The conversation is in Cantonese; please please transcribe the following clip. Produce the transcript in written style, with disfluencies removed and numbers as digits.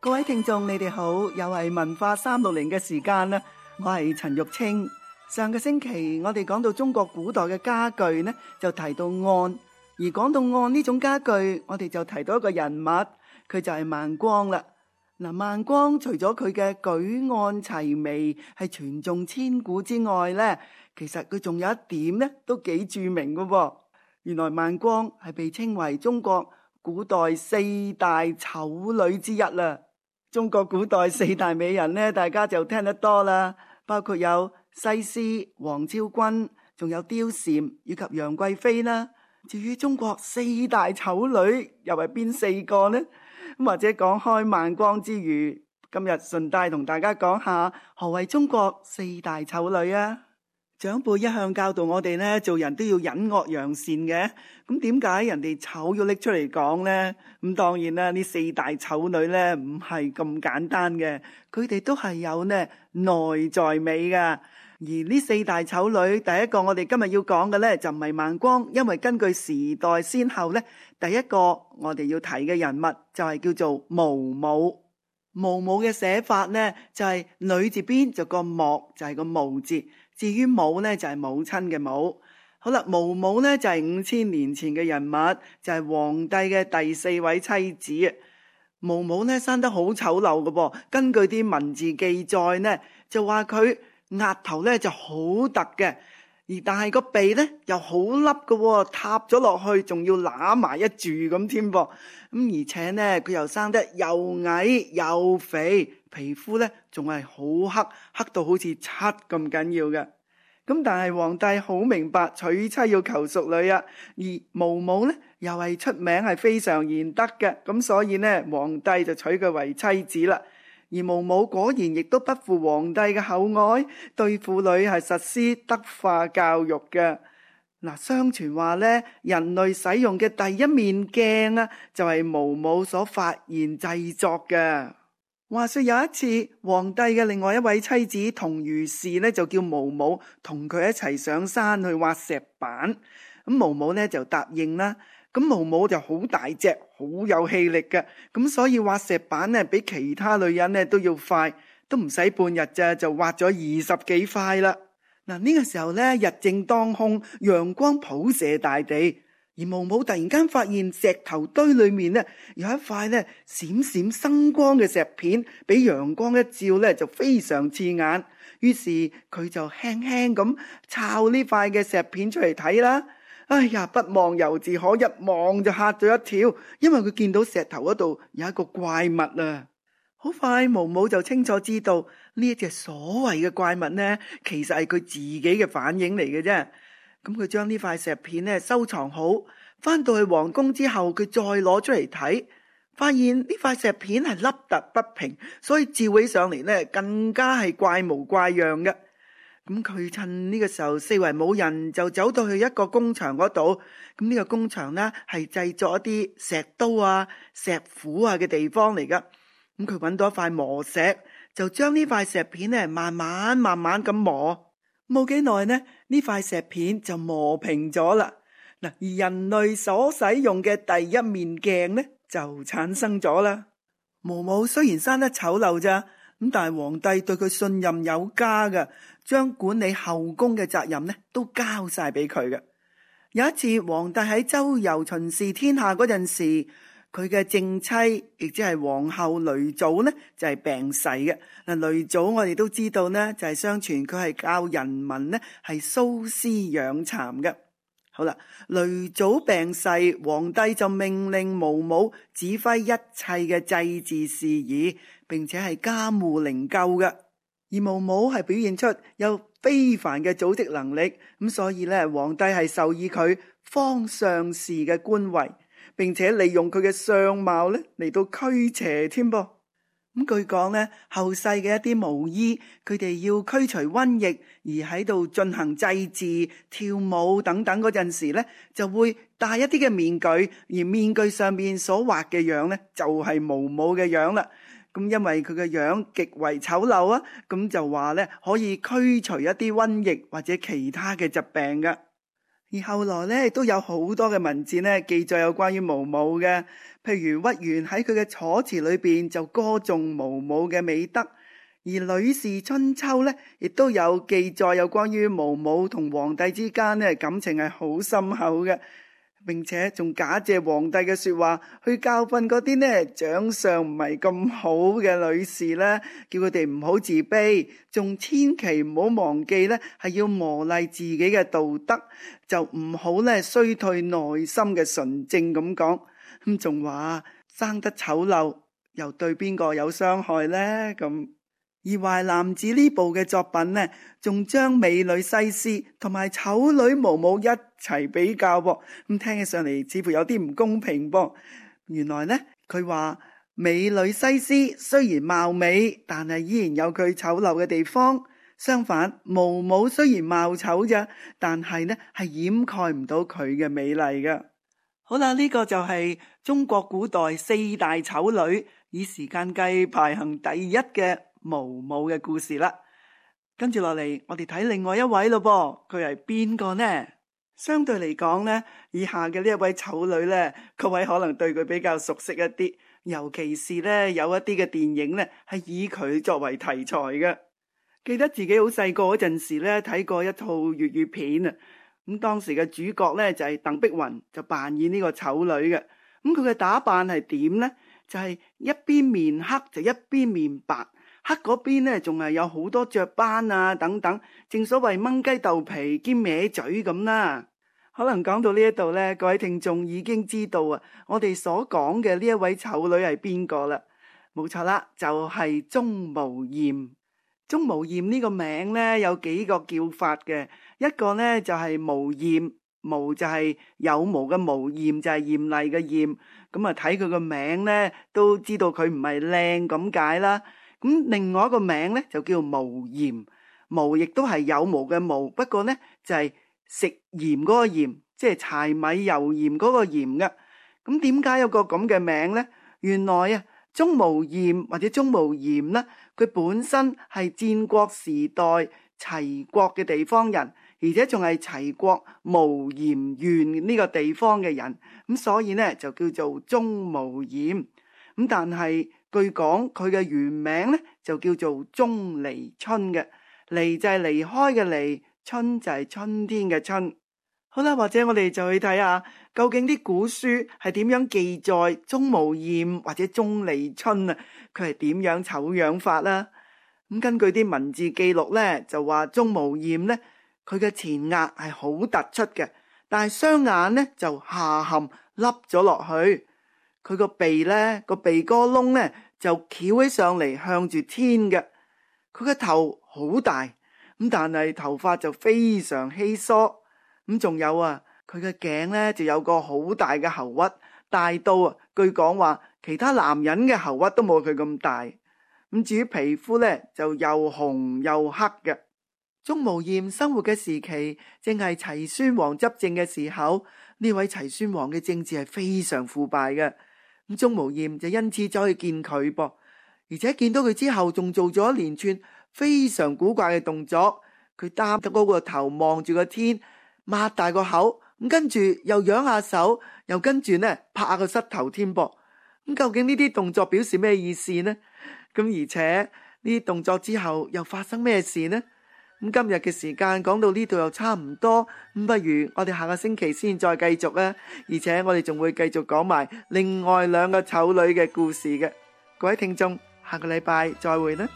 各位聽眾，你哋好，又係文化360嘅時間啦。我係陳玉清。上個星期我哋講到中國古代嘅家具呢，就提到案。而講到案呢種家具，我哋就提到一個人物，佢就係孟光啦。嗱，孟光除咗佢嘅舉案齊眉係傳頌千古之外呢，其實佢仲有一點呢都幾著名嘅喎。原來孟光係被稱為中國古代4大醜女之一啦。中國古代4大美人呢，大家就聽得多啦，包括有西施、王昭君，仲有貂蟬以及楊貴妃啦。至於中國4大醜女又係邊4個呢？或者講開孟光之餘，今日順帶同大家講下何謂中國4大醜女啊。長輩一向教導我哋呢，做人都要隱惡揚善嘅。咁點解人哋醜要拎出嚟講呢？咁當然啦，呢4大醜女呢唔係咁簡單嘅，佢哋都係有呢內在美噶。而呢4大醜女，第一個我哋今日要講嘅呢，就唔係孟光，因為根據時代先後呢，第一個我哋要提嘅人物就係叫做毛姆。毛姆嘅寫法呢，就係女字邊就個莫，就係個毛字。至於母呢，就係母親嘅母。好啦，毛姆呢，就係5000年前嘅人物，就係皇帝嘅第4位妻子。毛姆呢，生得好醜陋嘅噃，根據啲文字記載呢，就話佢額頭呢就好突嘅，但係個鼻呢又好凹嘅，塌咗落去，仲要揦埋一住咁添噃。咁而且呢，佢又生得又矮又肥，皮膚呢仲係好黑，黑到好似漆咁緊要嘅。咁但係皇帝好明白娶妻要求淑女啊，而毛姆呢又係出名係非常賢德嘅，咁所以呢，皇帝就娶佢為妻子啦。而毛姆果然亦都不負皇帝嘅厚愛，對婦女係實施德化教育嘅。嗱，相傳話呢，人類使用嘅第一面鏡啊，就係毛姆所發現製作嘅。話說有一次，皇帝嘅另外一位妻子同如是呢，就叫毛姆同佢一齊上山去挖石板。咁毛姆呢就答應啦。咁毛姆就好大隻，好有氣力嘅，咁所以挖石板呢，比其他女人呢都要快，都唔使半日咋，就挖咗20幾塊啦。嗱，呢個時候呢，日正當空，陽光普射大地，而毛姆突然間發現石頭堆裏面呢，有一塊呢閃閃生光嘅石片，俾陽光一照呢，就非常刺眼。於是佢就輕輕咁抄呢塊嘅石片出嚟睇啦。哎呀，不望猶自可，一望就嚇咗一跳，因為佢見到石頭嗰度有一個怪物啊！好快，毛姆就清楚知道呢一隻所謂嘅怪物呢，其實係佢自己嘅反應嚟嘅啫。咁佢將呢塊石片呢收藏好，翻到去皇宮之後，佢再攞出嚟睇，發現呢塊石片係凹凸不平，所以照起上嚟呢更加係怪模怪樣嘅。咁佢趁呢個時候四圍冇人，就走到去一個工場嗰度。咁呢個工場呢係製作一啲石刀啊、石斧啊嘅地方嚟噶。咁佢揾到一塊磨石，就將呢塊石片呢慢慢咁磨。冇幾耐呢，呢塊石片就磨平咗啦。嗱，而人類所使用嘅第一面鏡呢就產生咗啦。毛姆雖然生得醜陋咋，咁但係皇帝對佢信任有加嘅，將管理後宮嘅責任呢都交晒俾佢嘅。有一次，皇帝喺周遊巡視天下嗰陣時，佢嘅正妻亦即係皇后雷祖呢就係病逝嘅。嗱，雷祖我哋都知道呢，就係相傳佢係教人民呢係蘇絲養蠶嘅。好啦，雷祖病逝，皇帝就命令毛姆指揮一切嘅祭祀事宜，並且係監護靈柩嘅。而毛姆係表現出有非凡嘅組織能力，咁所以咧，皇帝係授意佢方相氏嘅官位，並且利用佢嘅相貌咧嚟到驅邪添噃。咁據講咧，後世嘅一啲巫醫，佢哋要驅除瘟疫而喺度進行祭祀、跳舞等等嗰陣時咧，就會戴一啲嘅面具，而面具上面所畫嘅樣咧，就係毛姆嘅樣啦。咁因為佢嘅樣極為醜陋啊，咁就話咧可以驅除一啲瘟疫或者其他嘅疾病噶。而後來咧，亦都有好多嘅文字咧記載有關於毛姆嘅，譬如屈原喺佢嘅楚辭裏邊就歌頌毛姆嘅美德，而呂氏春秋咧亦都有記載有關於毛姆同皇帝之間咧感情係好深厚嘅，並且仲假借皇帝嘅說話去教訓嗰啲呢長相唔係咁好嘅女士呢，叫佢哋唔好自卑，仲千祈唔好忘記呢係要磨礪自己嘅道德，就唔好呢衰退內心嘅純正咁講。咁仲話生得醜陋又對邊個有傷害呢？咁而《淮南子》呢部嘅作品呢，仲將美女西施同埋醜女毛姆一齊比較噃，咁聽起上嚟似乎有啲唔公平噃。原來呢，佢話美女西施雖然貌美，但係依然有佢醜陋嘅地方。相反，毛姆雖然貌醜啫，但係呢係掩蓋唔到佢嘅美麗㗎。好啦，呢個就係中國古代四大醜女以時間計排行第一嘅毛姆嘅故事啦。跟住落嚟，我哋睇另外一位咯噃，佢係邊個呢？相對嚟講呢，以下嘅呢一位醜女呢，各位可能對佢比較熟悉一啲，尤其是呢有一啲嘅電影呢係以佢作為題材嘅。記得自己好細個嗰陣時呢，睇過一套粵語片啊，咁當時嘅主角呢就係鄧碧雲，就扮演呢個醜女嘅。咁佢嘅打扮係點呢？就係一邊面黑就一邊面白，黑嗰邊呢仲係有好多雀斑啊等等，正所謂掹雞鬥皮兼歪嘴咁啦。可能講到呢一度呢，各位聽眾已經知道啊，我哋所講嘅呢一位醜女係邊個啦？冇錯啦，就係鍾無艷。鍾無艷呢個名呢，有幾個叫法嘅，一個呢就係無艷，無就係有毛嘅無，艷就係艷麗嘅艷。咁啊睇佢個名呢，都知道佢唔係靚咁解啦。咁另外一個名呢，就叫無鹽，無亦都係有毛嘅毛，不過呢就係食鹽嗰個鹽，即係柴米油鹽嗰個鹽嘅。咁點解有個咁嘅名呢？原來啊，鍾無艷或者鍾無艷呢，佢本身係戰國時代齊國嘅地方人，而且仲係齊國無鹽縣呢個地方嘅人，咁所以呢就叫做鍾無艷。咁但係據講佢嘅原名呢就叫做鍾離春嘅，離就係離開嘅離，春就係春天嘅春。好啦，或者我哋就去睇下究竟啲古書係點樣記載鍾無艷或者鍾離春啊，佢係點樣醜樣法啦？咁根據啲文字記錄呢，就話鍾無艷呢，佢嘅前額係好突出嘅，但係雙眼呢就下陷凹咗落去，佢個鼻呢個鼻哥窿呢就翹起上嚟向住天嘅，佢嘅頭好大，咁但係頭髮就非常稀疏。咁仲有啊，佢嘅頸呢就有個好大嘅喉核，大到啊，據講話其他男人嘅喉核都冇佢咁大。咁至於皮膚呢，就又紅又黑嘅。鍾無艷生活嘅時期正係齊宣王執政嘅時候，呢位齊宣王嘅政治係非常腐敗嘅。咁鍾無艷就因此走去見佢噃，而且見到佢之後仲做咗一連串非常古怪嘅動作。佢擔得嗰個頭望住個天，擘大個口，咁跟住又揚下手，又跟住呢拍下個膝頭添噃。咁究竟呢啲動作表示咩意思呢？咁而且呢啲動作之後又發生咩事呢？咁今日嘅時間講到呢度又差唔多，咁不如我哋下個星期先再繼續啊！而且我哋仲會繼續講埋另外兩個醜女嘅故事嘅。各位聽眾，下個禮拜再會啦！